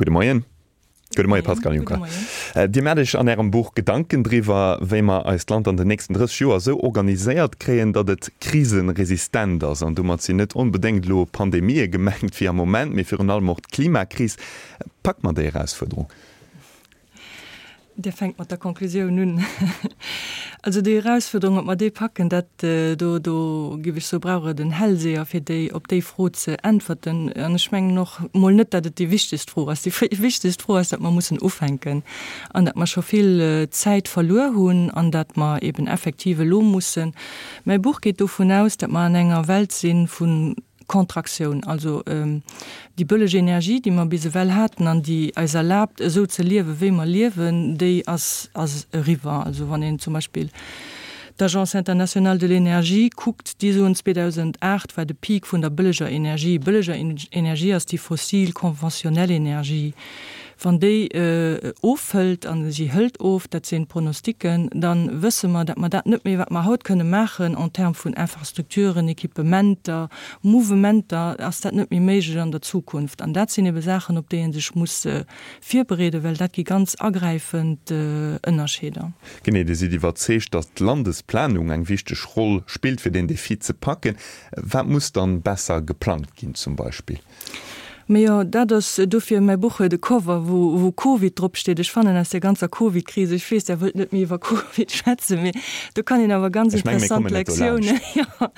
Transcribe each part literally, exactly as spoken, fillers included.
Gudde Moien. Gudde Moien, Pascale Juncker. Dir maacht Iech an Ärem Buch Gedanken driwwer, wéi mer eist Land an den nächsten drësseg Joer esou organiséiert kréien, datt et kriseresistent ass. An domat sinn net onbedéngt elo Pandemië gemengt wéi am Moment, mee virun allem och d'Klimakris. Packe mer déi Erausfuerderung? Dir fänkt mat der Konklusioun un. Also déi Erausfuerderung, ob mer déi packen, dat do, do géif ech soe brauch et en Hellseher, fir déi, op déi Fro ze äntwerten. An ech mengen och mol net, datt et déi wichtegst Fro ass. Déi wichtegst Fro ass, datt mer mussen ufänken an datt mer scho vill Zäit verluer hunn an datt mer eben effektiv elo mussen. Mäi Buch geet dovun aus, datt mer an enger Welt si vu Kontraktioun, also déi bëlleg Energie, déi mer bis ewell haten an déi eis erlaabt, esou ze liewen, wéi mer liewen, déi ass ass eriwwer. Also wann een zum Beispill d'Agence internationale de l'énergie kuckt, déi soen, zweedausendacht war de Peak vun der bëlleger Energie. Bëlleger Energie ass déi fossil, konventionell Energie. Wann déi ofhëlt, a si hëlt of, dat sinn d'Pronosticken, da wësse mer, datt mer dat net méi, wat mer haut kënne maachen en termes vun Infrastrukturen, Equipementer, Mouvementer, ass dat net méi méiglech an der Zukunft. An dat sinn ebe Saachen, op déi ee sech muss virbereeden, well dat gi ganz agräifend Ënnerscheeder. Genee, Dir sidd iwwerzeegt, datt d'Landesplanung eng wichteg Roll spillt, fir deen Defi ze packen. Wat muss dann besser geplangt ginn zum Beispill? Mee jo, dat ass dofir mäi Buch huet e Cover, wou wou Covid drop steet. Ech fannen aus där ganzer Covid-Kris, ech weess, Der wëllt net méi iwwer Covid schwätzen, mee do kann een awer ganz Ech menge mir interessant kommen net dolaanscht. Lektiounen, jo,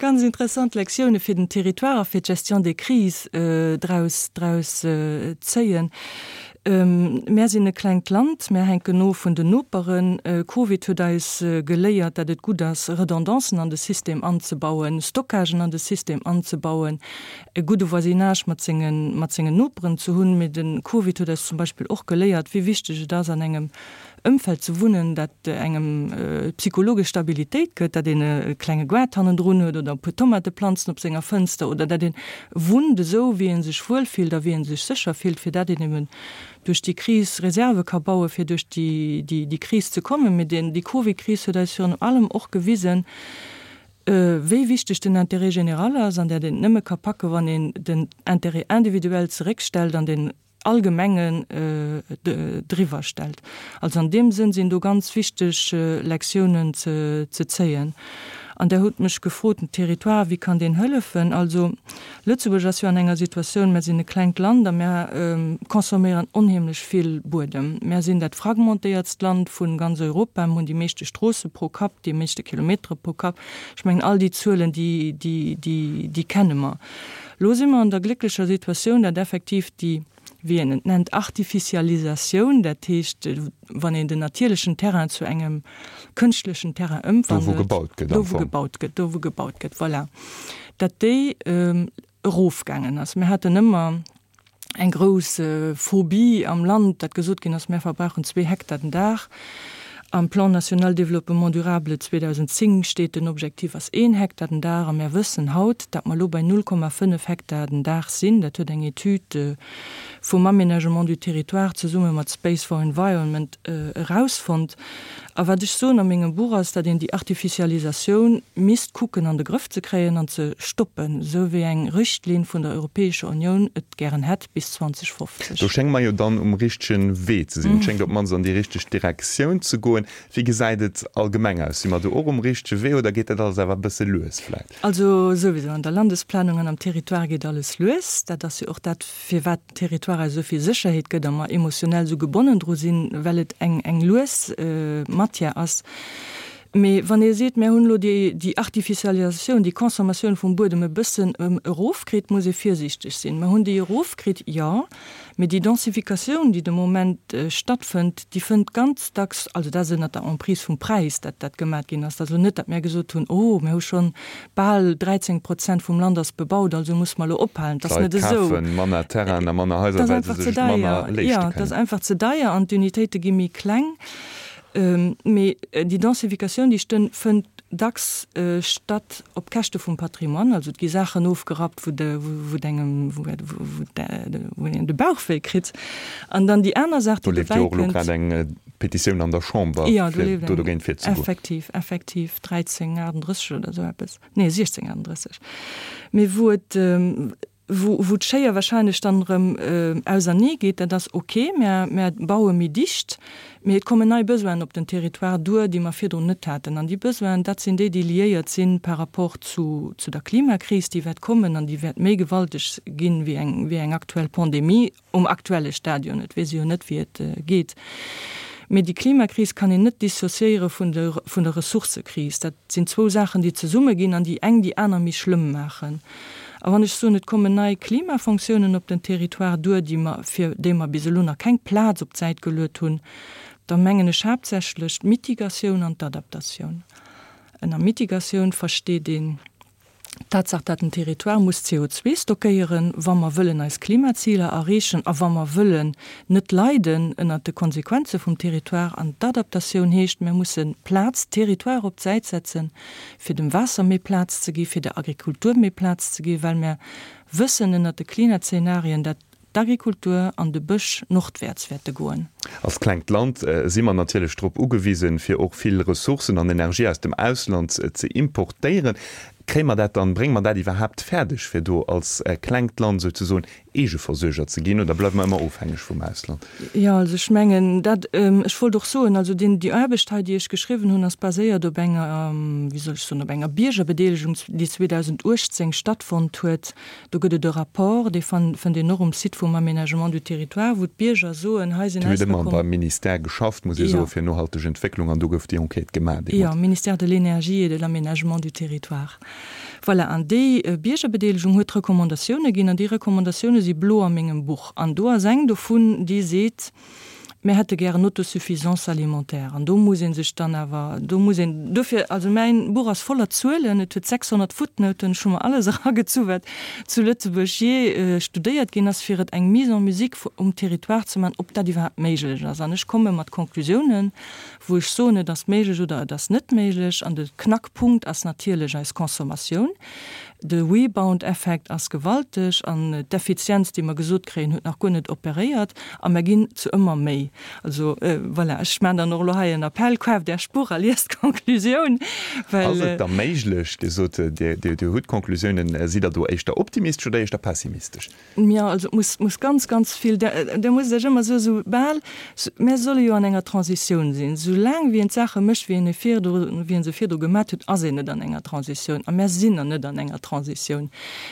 ganz interessant Lektioune fir den Territoire a fir d'Gestion des crises draus draus zéien. Mär sinn e klengt Land, mär hänken of vun den Noperen. Covid huet eis geléiert, datt et gutt ass, Redondancen an de System anzebauen, Stockagen an de System anzebauen, e gudde Voisinage mat sengen, mat sengen Noperen ze hunn. Mee de Covid huet eis zum Beispill och geléiert, wéi wichteg et ass, an engem Ëmfeld ze wunnen, dat engem psychologesch Stabilitéit gëtt, dat een e klenge Gaart hannendrun huet oder e puer Tomateplanzen op senger Fënster oder dat een wunnt esou, wéi ee sech wuelfillt a wéi ee sech sécher fillt, fir dat een eben duerch déi Kris Reserve ka bauen, fir duerch déi Kris ze kommen. Mee déi Covid-Kris huet eis virun allem och gewisen, wéi wichteg den Intérêt général ass an dat een et nëmme ka packen, wann een den Intérêt individuel zeréckstellt an den Allgemengen driwwer stellt. Also an deem Sënn sinn do ganz wichteg Lektiounen ze zéien. An Der hutt mech gefrot, den Territoire, wéi kann deen hëllefen? Also Lëtzebuerg ass jo an enger Situatioun, mär sinn e klengt Land a mär consomméieren onheemlech vill Buedem. Mär sinn dat fragmentéiertst Land vu ganz Europa, mir hunn déi meeschte Stroosse pro Kapp, déi meeschte Kilometere pro Kapp. Ech mengen, all déi Zuelen, déi, déi, déi, déi kenne mer. Elo si mer an der glécklecher Situatioun, datt effektiv déi, wéi een et nennt, Artificialisatioun, dat heescht, wann een den natierlechen Terrain zu engem kënschtlechen Terrain Do wou ëmwandelt, gebaut gëtt am do wou Fong. gebaut gëtt, do wou gebaut gëtt, voilà, datt déi erofgaangen ass. Mir haten ëmmer eng grouss Phobie am Land, datt gesot ginn ass, mir verbrauchen zwee Hektar den Dag. Am Plan national développement durable zweedausendzéng steet, den Objektiv ass een Hektar den Dag. A mir wëssen haut, datt mer elo bei null Komma fënnef Hektar den Dag sinn. Dat huet eng Etüd vum Aménagement du territoire zesumme mat Space for Environment erausfonnt. A wat ech soen a mengem Buch ass, datt een déi Artificialisatioun misst kucken an de Grëff ze kréien an ze stoppen, esou wéi eng Richtlinn vun der Europäescher Unioun et gären hätt bis Do zweedausendfofzeg. schénge mer jo dann um richtegen Wee ze sinn. Et schéngt op d'mannst an déi richteg Direktioun ze goen. Wéi gesäit et allgemeng aus? Si mer do och um richtege Wee oder geet dat alles awer e bësse lues vläicht? Also souwisou, an der Landesplanung an am Territoire geet alles lues. Dat ass jo och dat, firwat den Territoire eis esou vill Sécherheet gëtt a mer emotionell esou gebonnen dru sinn, well et eng eng lues Matière ass. Mee wann ee seet, mär hunn elo déi déi Artificialisatioun, déi Consommatioun vum Buedem e bëssen erofkritt, muss ee virsiichteg sinn. Mer hunn déi erofkritt, jo, mee déi Densificatioun, déi de Moment stattfënnt, déi fënnt ganz dacks, also dat ass ënnert der Emprise vum Präis, dat dat gemat ginn ass, dat ass elo net, datt mär gesot hunn, oh, mär hu schonn bal dräizéng Prozent vum Land ass bebaut, also musse mer elo ophalen. Dat ass D'Leit net esou. kafe manner Terrainen a manner Dat Haiser, ass well se einfach ze sech et manner deier. leeschte Jo, dat ass kënnen. einfach ze deier an d'Unitéite gi méi kleng. Mee déi Densificatioun, déi stënn, fënnt dacks statt op Käschte vum Patrimoine. Also et gi Saachen ofgerappt, wou de, wou et engem, wou, wou, wou een de Bauch wéi kritt. An dann déi aner Saach, Do déi leeft jo dobäi och elo kënnt. grad eng Petitioun an der Chamber, Jo, do fir leeft do eng, dogéint virzegoen. effektiv, effektiv, dräizéng achtendrësseg oder esou eppes, nee, siechzéng achtendrësseg. Mee wou et, Wou, wou d'Schéier wahrscheinlech dann erëm ausernee geet, dat ass ok, mä mär baue méi dicht, mee et kommen nei Besoinen op den Territoire duer, déi mer virdrun net haten. An déi Besoinen, dat sinn déi, déi liéiert si par rapport zu, zu der Klimakris, déi wäert kommen an déi wäert méi gewalteg ginn wéi eng, wéi eng aktuell Pandemie um aktuelle Stadion. Et weess ee jo net, wéi et geet. Mee déi Klimakris kann een net dissociéiere vun der, vun der Ressourcëkris. Dat sinn zwou Saachen, déi zesummeginn an déi eng déi aner méi schlëmm maachen. A wann ech soen, et kommen nei Klimafonctiounen op den Territoire duer, déi mer, fir déi mer bis elo nach keng Plaz op d'Säit geluet hunn, da mengen ech haaptsächlech d'Mitigatioun an d'Adaptatioun. Ënner Mitigatioun versteet een d'Tatsaach, dat den Territoire muss C O zwee stockéieren, wa mer wëllen eis Klimaziler erreechen a wa mer wëllen net leiden ënnert de Konsequenze vum Territoire. An d'Adaptatioun heescht, mir musse Plaz, Territoire op d'Säit setzen, fir dem Waasser méi Plaz ze gi, fir der Agrikultur méi Plaz ze gi, well mer wëssen ënnert de Klimazenarien, dat d'Agrikultur an de Bësch nordwäerts wäerte goen. Als klengt Land si mer natierlech drop ugewisen, fir och vill Ressourcen an Energie aus dem Ausland ze importéieren. Kréie mer dat dann, brénge mer dat iwwerhaapt fäerdeg, fir do als klengt Land souzesoen Eegeversuerger ze ginn, oder bleiwe mer ëmmer ofhängeg vum Ausland? Jo, also ech mengen dat, ech wollt och soen, also deen, déi Aarbecht hei, déi ech geschriwwen hunn, ass baséiert op enger, wéi soll ech soen, op enger Biergerbedeelegung, déi zweedausendachtzéng stattfonnt huet. Do gëtt et e Rapport, dee fënnt een och um Site vum Aménagement du Territoire, wou d'Bierger soen, hei sinn eis. Dir hutt ëmmer beim Ministère geschafft, muss ee soen, fir nohalteg Entwécklung, an do gouf déi Enquête gemaach deemools. Jo, Ministère de l'Énergie et de l'Aménagement du Territoire. Voilà, an déi Biergerbedeelegung huet Recommandatioune ginn, an déi Recommandatioune si blo a mengem Buch. An do ass eng dovun, déi seet, mir hätte gären Autosuffisance alimentaire. An do muss ee sech dann awer, do muss een, dofir, also mäin Buch ass voller Zuelen, et huet sechshonnert Footnoten, ech hu mer alles eragezu wat zu Lëtzebuerg jee studéiert ginn ass, fir et eng Mise en musique um Territoire ze maachen, ob dat iwwerhaapt méiglech ass. An ech komme mat Conclusiounen, wou ech soen, et ass méiglech oder et ass net méiglech. An de Knackpunkt ass natierlech eis Consommatioun. De Rebound-Effekt ass gewalteg an d'Effizienz, déi mer gesot kréien, huet nach guer net operéiert a mer ginn zu ëmmer méi. Also voilà, ech maachen dann och elo hei en Appell, Kaaft Är Spuch a liest d'Konklusioun, well. Ass et da méiglech, Dir sot, Dir hutt Konklusiounen, sidd Der do éischter optimistesch oder éischter pessimistesch? Jo, also et muss, muss ganz, ganz vill, Der musst Iech ëmmer soen, soubal, mir solle jo an enger Transitioun sinn, soulaang wéi een d'Saache mécht, wéi een e virdu, wéi een se virdru gemat huet, ass een net an enger Transitioun. A mär sinn nach net an enger Transitioun.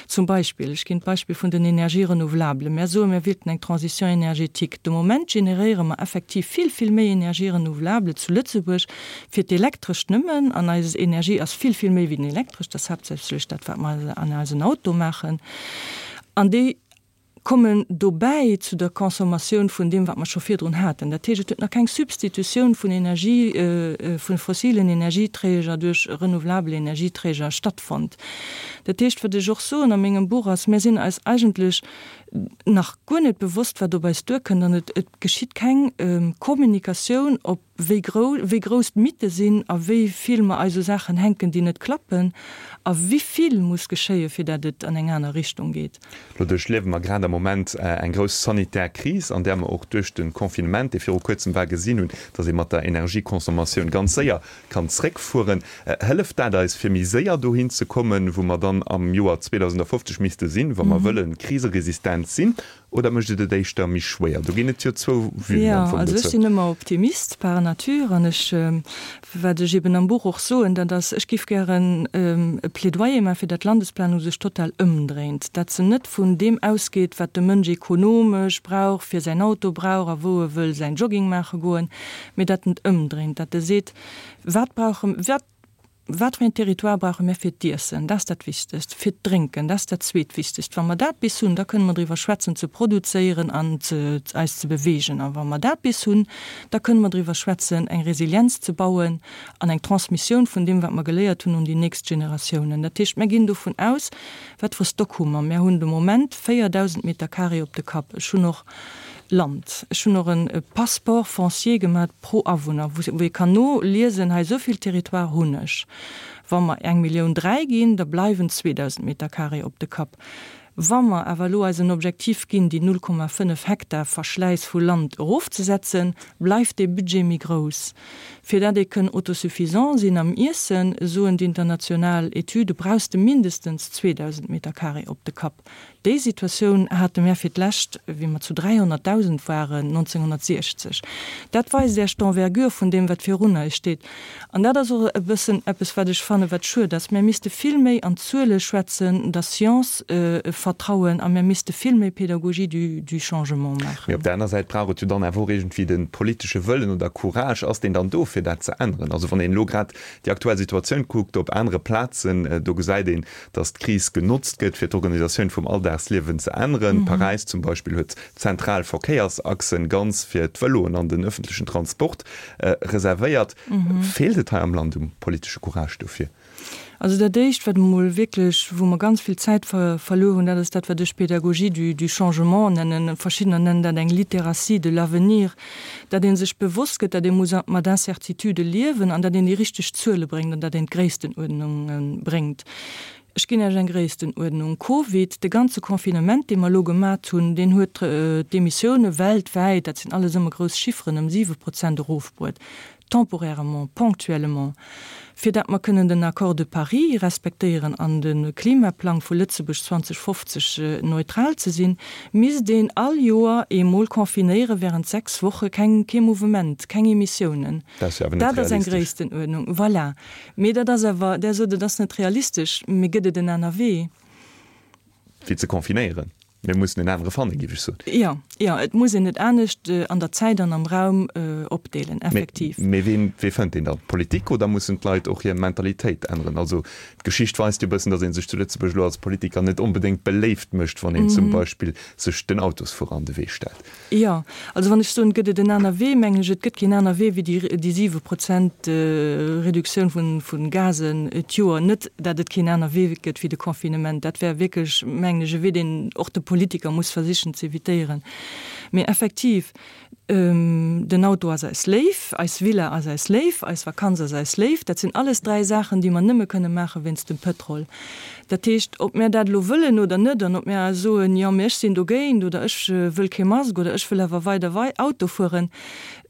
Zum Beispill, ech ginn d'Beispill vun den Energies renouvelables. Mär soen, mär wéilten eng Transition énergétique. De Moment generéiere mer effektiv vill, vill méi Energies renouvelables zu Lëtzebuerg fir d'Elektrescht nëmmen. An eis Energie ass vill, vill méi wéi den Elektresch. Dat ass haaptsächlech dat, wat mer an eisen Auto maachen. An déi kommen dobäi zu der Consommatioun vun deem, wat mer scho virdrun haten. Dat heescht, et huet nach keng Substitutioun vun Energie, vu fossilen Energieträger duerch renouvelabel Energieträger stattfonnt. Dat heescht, wat ech och soen a mengem Buch ass, Mir sinn eis eigentlech nach guer net bewosst, wat op eis duerkënnt an et geschitt keng Kommunikatioun op wéi grou, wéi grouss d'Mitte sinn a wéi vill mer eis u Saachen hänken, déi net klappen a wéi vill muss geschéie fir dat et an eng aner Richtung geet. Lo duerchliewe mer grad am Moment eng grouss sanitär Kris, an där mer och duerch de Confinement, dee viru kuerzem war, gesinn hunn, datt ee mat der Energieconsommatioun ganz séier kann zréckfueren. Hëlleft dat eis, fir méi séier dohin ze kommen, wou mer dann am Joer zweedausendafofzeg misste sinn, wa mer wëlle kriseresistent sinn, oder mécht et et éischter méi schwéier? Do ginn et jo zwou Vuen am Fong dozou. Jo, also ech sinn ëmmer Optimist par nature an ech, wat ech eben am Buch och soen, dat ass, ech géif gären e Plädoyer maachen, fir dat d'Landesplanung sech total ëmdréint, dat se net vun deem ausgeet, wat de Mënsch ekonomesch brauch, fir säin Auto brauch a wou e wëll säin Jogging maache goen, mee dat en et ëmdréint, dat e seet, wat brauche, wat Wat fir een Territoire brauche mir fir d'Iessen? Dat ass dat Wichtegst. Fir d'Drénken, dat ass dat Zweetwichtegst. Wa mer dat bis hunn, da kënne mer driwwer schwätzen ze produzéieren an ze, eis ze beweegen. A wa mer dat bis hunn, da kënne mer driwwer schwätzen, eng Resilienz ze bauen an eng Transmissioun vun deem, wat mer geléiert hunn, un déi nächst Generatiounen. Dat heescht, mir ginn dovun aus, wat fir Stock hu mer? Mir hunn de Moment véierdausend Meter carré op de Kapp. Ech hunn och Land. Ech hunn och e Passeport foncier gemat pro Awunner, wou ee kann noliesen, hei esou vill Territoire hunn ech. Wa mer eng Millioun dräi ginn, da bleiwen zweedausend Meter carré op de Kapp. Wa mer awer elo eis en Objektiv ginn, déi null Komma fënnef Hektar Verschläiss vu Land erofzesetzen, bleift dee Budget méi grouss. Fir dat ee kënn autosuffisant sinn am Iessen, soen d'international Etüde, brauchs de mindestens zweedausend Meter carré op de Kapp. Déi Situatioun hate mär fir d'lescht, wéi mer zu dräihonnertdausend waren, nonzénghonnertsiechzeg. Dat weist Iech d'Envergure vun deem, wat virun eis steet. An dat ass och e bëssen eppes, wat ech fannen, wat schued ass. Mär misste vill méi an Zuele schwätzen, der Science vertrauen a mär misste vill méi Pédagogie du, du changement maachen. Mee op der aner Säit brauch et jo dann awer och iergendwéi de politesche Wëllen oder Courage. Ass deen dann do, fir dat ze änneren? Also wann een elo grad déi aktuell Situatioun kuckt op anere Plazen, do gesäit een, datt d'Kris genotzt gëtt, fir d'Organisatioun vum Alldagsliewen ze änneren. Paräis zum Beispill huet zentral Verkéiersachsen ganz fir d'Vëloen an den ëffentlechen Transport reservéiert. Feelt et hei am Land um politesche Courage dofir? Also dat Éischt, wat emol wierklech, wou mer ganz vill Zäit verluer hunn, dat ass dat, wat ech Pédagogie du, du changement nennen. Verschiddener nennen dat eng Littératie de l'avenir, dat ee sech bewosst gëtt, dat ee muss mat Incertitudë liewen an dat een déi richteg Zuele bréngt an dat een d'Gréisstenuerdnunge bréngt. Ech ginn Iech eng Gréisstenuerdnung. Covid, de ganze Confinement, dee mer elo gemat hunn, deen huet d'Emissioune weltwäit, dat sinn alles ëmmer grouss Chifferen, ëm siwe Prozent erofbruet, temporairement, ponctuellement, fir dat mer kënnen den Accord de Paris respektéieren an de Klimaplang vu Lëtzebuerg zweedausendfofzeg neutral ze sinn, misst een all Joer eemol confinéiere während sechs Woche, keng, kee Mouvement, keng Emissiounen. Dat ass jo awer net Dat ass eng realistesch. Gréisstenuerdnung, voilà. Mee dat ass awer, Der sot, et ass net realistesch, mee gëtt et en aner Wee? Wéi ze confinéieren? Mir mussen en anere fannen, géif ech soen. Jo, jo, et muss een et anescht an der Zäit an am Raum opdeelen, effektiv. Mee ween, wee fënnt deen dann? D'Politik oder mussen d'Leit och hir Mentalitéit änneren? Also d'Geschicht weist jo e bëssen, datt ee sech zu Lëtzebuerg elo als Politiker net onbedéngt beléift mécht, wann een zum Beispill sech den Autosfuerer an de Wee stellt. Jo, also wann ech soen, gëtt et en aner Wee, mengen ech, et gëtt keen aner Wee wéi déi, déi siwe Prozent Reduktioun vun, vun Gasen d'Joer. Net, dat et keen aner Wee gëtt wéi de Confinement. Dat wär wierklech, mengen ech, e Wee, deen och de Politiker muss versichen ze evitéieren. Mee effektiv, den Auto ass eis léif, eis Villa ass eis léif, eis Vakanz ass eis léif. Dat sinn alles dräi Saachen, déi mer nëmme kënne maache wéinst dem Pëtrol. Dat heescht, ob mär dat elo wëllen oder net an ob mär soen, jo, mee ech sinn dogéint oder ech wëll kee Mask oder ech wëll awer weider Auto fueren,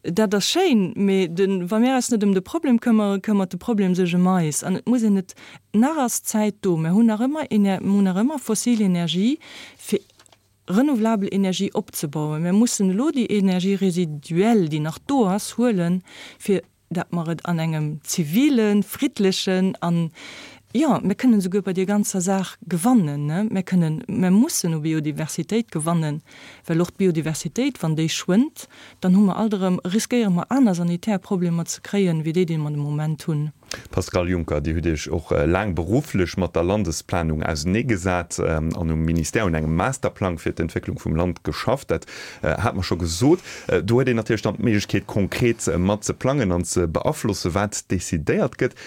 dat ass schéin, mee de, wa mär eis net ëm de Problem këmmere, këmmert de Problem sech ëm eis. An et muss een et, nach ass d'Zäit do, mär hunn nach ëmmer, mär hunn nach ëmmer fossil Energie fir renouvelabel Energie opzebauen. Mir mussen elo déi Énergie résiduelle, déi nach do ass, huelen, fir dat mer et an engem zivilen, friddlechen an, jo, mir kënnen esouguer bei deer ganzer Saach gewannen, ne? Mir kënnen, mir mussen u Biodiversitéit gewannen, well och d'Biodiversitéit, wann déi schwënnt, dann hu mer alt erëm, riskéiere mer aner sanitär Problemer ze kréien, wéi déi, déi mer de Moment hunn. Pascale Juncker, Dir hutt Iech och laang berufflech mat der Landesplanung auseneegesat an um Ministère un engem Masterplang fir d'Entwécklung vum Land geschafft. Dat hat mer scho gesot. Do huet een natierlech dann d'Méiglechkeet, konkret mat ze plangen an ze beaflossen, wat decidéiert gëtt.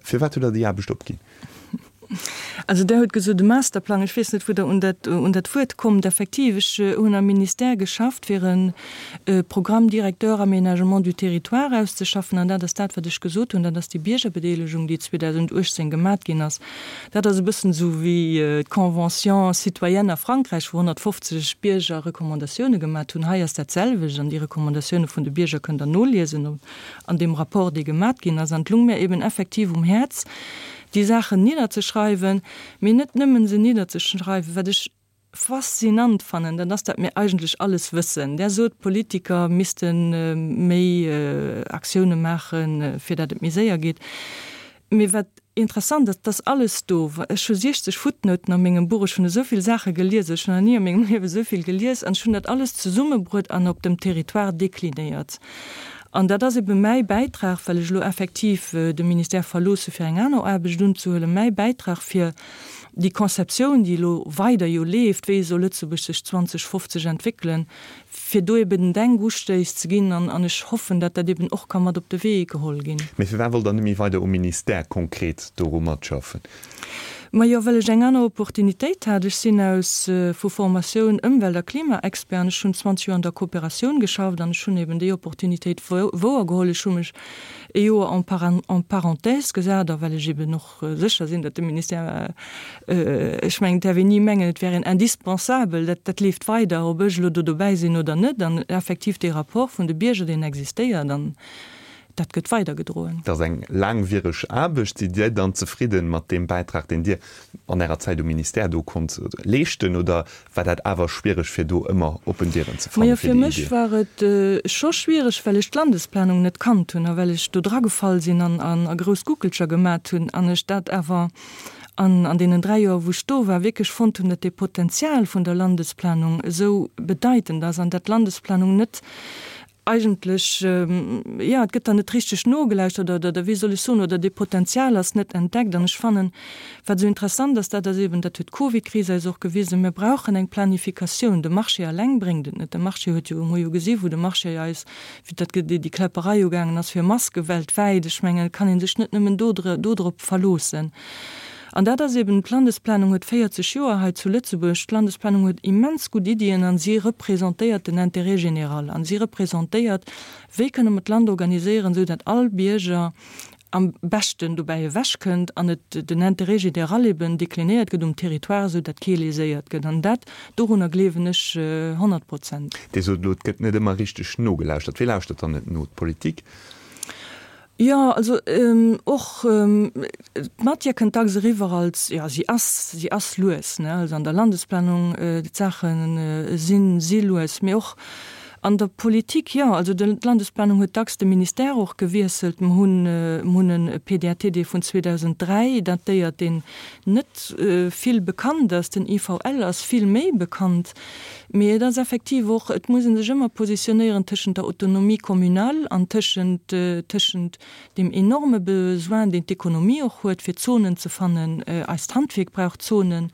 Firwat hutt Der déi Aarbecht opginn? Also Der hutt gesot, de Masterplang, ech weess net, wou Der un dat, un dat Wuert kommt. Effektiv, ech hunn am Ministère geschafft, fir e Programme directeur aménagement du territoire auszeschaffen. An dat ass dat, wat ech gesot hunn, dat ass déi Biergerbedeelegung, déi zweedausenduechtzéng gemat ginn ass. Dat ass e bëssen esou wéi d'Convention citoyenne a Frankräich, wou honnertfofzeg Bierger Recommandatioune gemat hunn. Hei ass dat selwecht an déi Recommandatioune vun de Bierger kënnt Der noliesen an deem Rapport, dee gemat ginn ass. An et lung mir eben effektiv um Häerz, déi Saachen nidderzeschreiwen, mee net nëmmen se nidderzeschreiwen, wat ech faszinant fannen, dat ass, dat mir eigentlech alles wëssen. Der sot, d'Politiker misste méi Aktioune maachen, fir dat et méi séier geet. Mee wat interessant ass, et ass alles do. Ech hu siechzeg Futtnouten a mengem Buch, ech hunn esou vill Saache gelies, ech hunn nach ni a mengem Liewe esou vill gelies an ech hunn dat alles zesummebruet an op dem Territoire deklinéiert. An dat ass ebe mäi Bäitrag, well ech elo effektiv de Ministère verloosse fir eng aner Aarbecht unzehuelen, mäi Bäitrag fir déi Konzeptioun, déi elo weider jo leeft, wéi soll Lëtzebuerg sech zweedausendfofzeg entwéckelen, fir do eben den Denkustéiss ze ginn. An ech hoffen, datt dat eben och ka mat op de Wee geholl ginn. Mee firwat wollt Der net méi weider um Ministère konkret doru matschaffen? Majo, well ech eng aner Opportunitéit hat. Ech sinn aus vu Formatioun Ëmwelt a Klimaexpert an ech hunn zwanzeg Joer an der Kooperatioun geschafft an ech hunn eben déi Opportunitéit wouergeholl. Ech hu mech ee Joer en en parenthèse gesat a well ech eben och sécher sinn, datt de Ministère, ech mengen, et däerf een ni mengen, et wär een indispensabel, dat dat leeft weider, ob ech elo do dobäi sinn oder net. An effektiv dee Rapport vun de Bierger, deen existéiert an dat gëtt weidergedroen. Dat ass eng laangwiereg Aarbecht. Sidd Dir dann zefridden mat deem Bäitrag, deen Dir an Ärer Zäit um Ministère do konnt leeschten, oder war dat awer schwiereg, fir do ëmmer oppen Dieren ze fannen fir déi Idee? Majo, fir mech war et scho schwiereg, well ech d'Landesplanung net kannt hunn a well ech do dragefall sinn an a grouss Guckelcher gemat hunn an ech dat awer an an deenen dräi Joer, wou ech do war, wierklech fonnt hunn, datt dee Potenzial vun der Landesplanung esou bedeitend ass an dat d'Landesplanung net eigentlech, jo, et gëtt der net richteg nogelauschtert oder, oder wéi soll ech soen, oder dee Potenzial ass net entdeckt. An ech fannen, wat esou interessant ass, dat ass eben, dat huet d'Covidkris eis och gewisen, mir brauchen eng Planifikatioun. De Marché alleng bréngt et net. De Marché huet jo, mir hu jo gesi wou de Marché eis, wéi dat, déi Kläpperei ugaangen ass fir Maske weltwäit, ech mengen, et kann ee sech net nëmmen do, dodrop verloossen. An dat ass eben, d'Landesplanung huet véierzeg Joer hei zu Lëtzebuerg, d'Landesplanung huet immens gutt Iddien a si representéiert den Intérêt général a si representéiert, wéi kënne mer d'Land organiséieren, esou datt all Bierger am beschten dobäi ewechkënnt an et den Intérêt général eben deklinéiert gëtt um Territoire, esou datt kee léséiert gëtt. An dat, dorunner gleewen ech honnert Prozent. Dir sot elo, et gëtt net ëmmer richteg nogelauschtert. Wee lauschtert dann net no? D'Politik? Jo, also och d'Matière kënnt dacks eriwwer als, jo, si ass, si ass lues, ne, also an der Landesplanung, d'Saache sinn, si lues, mee och an der Politik, jo, also d'Landesplanung huet dacks de Ministère och gewiesselt. Mer hunn, mer hunn e P D A T, dee vun zweedausend dräi datéiert, deen net vill bekannt ass, den I V L ass vill méi bekannt. Mee et ass effektiv och, et muss ee sech ëmmer positionéieren tëschent der Autonomie communale an tëschent, tëschent deem enorme Besoin, deen d'Ekonomie och huet, fir Zonen ze fannen. Eist Handwierk brauch Zonen.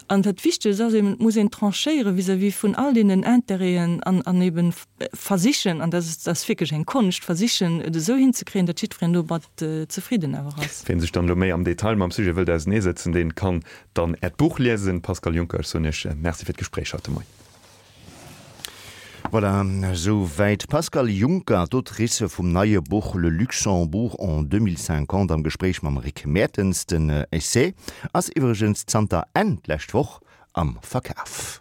An dat Wichtegst ass eben, et muss een tranchéiere vis-à-vis vun all deenen Intérêten an, an eben versichen, an dat ass, dat ass wierklech eng Konscht, versichen, et esou hinzekréien, datt jiddwereen domat zefridden awer ass. Wien sech dann elo méi am Detail mam Sujet wëllt auseneesetzen, deen kann dann Äert Buch liesen. Pascale Juncker, ech soen Iech Merci fir d'Gespréich haut de Moien. Voilà, esouwäit d'Pascale Juncker, d'Autrice vum neie Buch Le Luxembourg en deux mille cinquante am Gespréich mam Rick Mertens. Den Essai ass iwwregens zanter Enn d'lescht Woch am Verkaf.